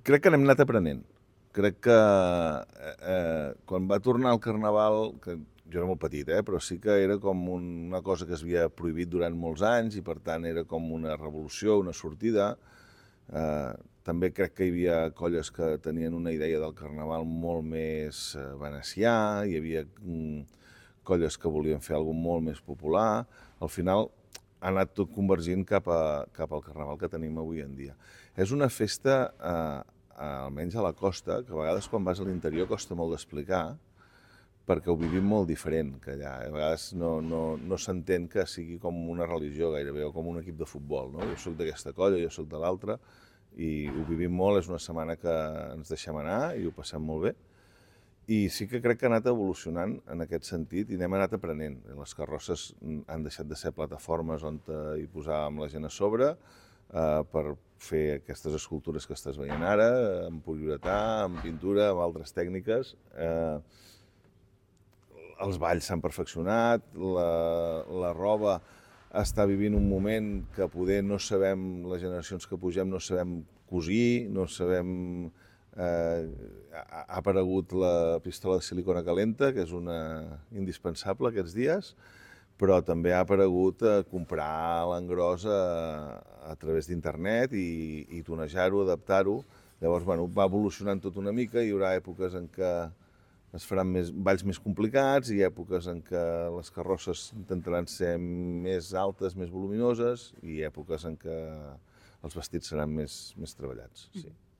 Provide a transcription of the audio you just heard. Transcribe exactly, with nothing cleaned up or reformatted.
Crec que n'hem anat aprenent. Crec que eh, eh, quan va tornar el Carnaval, que jo era molt petit, eh, però sí que era com un, una cosa que es havia prohibit durant molts anys i per tant era com una revolució, una sortida. Eh, també crec que hi havia colles que tenien una idea del Carnaval molt més eh, venecià, hi havia mm, colles que volien fer alguna cosa molt més popular. Al final ha anat tot convergint cap, a, cap al Carnaval que tenim avui en dia. És una festa, eh, almenys a la costa, que a vegades quan vas a l'interior costa molt d'explicar, perquè ho vivim molt diferent que allà. A vegades no, no, no s'entén que sigui com una religió gairebé, o com un equip de futbol. No? Jo soc d'aquesta colla, jo soc de l'altra, i ho vivim molt, és una setmana que ens deixem anar i ho passem molt bé. I sí que crec que ha anat evolucionant en aquest sentit i n'hem anat aprenent. Les carrosses han deixat de ser plataformes on hi posàvem la gent a sobre eh, per fer aquestes escultures que estàs veient ara, amb poliuretà, amb pintura, amb altres tècniques. Eh, els balls s'han perfeccionat, la, la roba està vivint un moment que poder no sabem, les generacions que pugem no sabem cosir, no sabem... Eh, ha aparegut la pistola de silicona calenta, que és una indispensable aquests dies, però també ha aparegut eh, comprar a l'engròs a, a través d'internet i, i tonejar-ho, adaptar-ho. Llavors, bueno, va evolucionant tot una mica, hi haurà èpoques en què es faran més, balls més complicats i èpoques en què les carrosses intentaran ser més altes, més voluminoses i èpoques en què els vestits seran més, més treballats. Sí.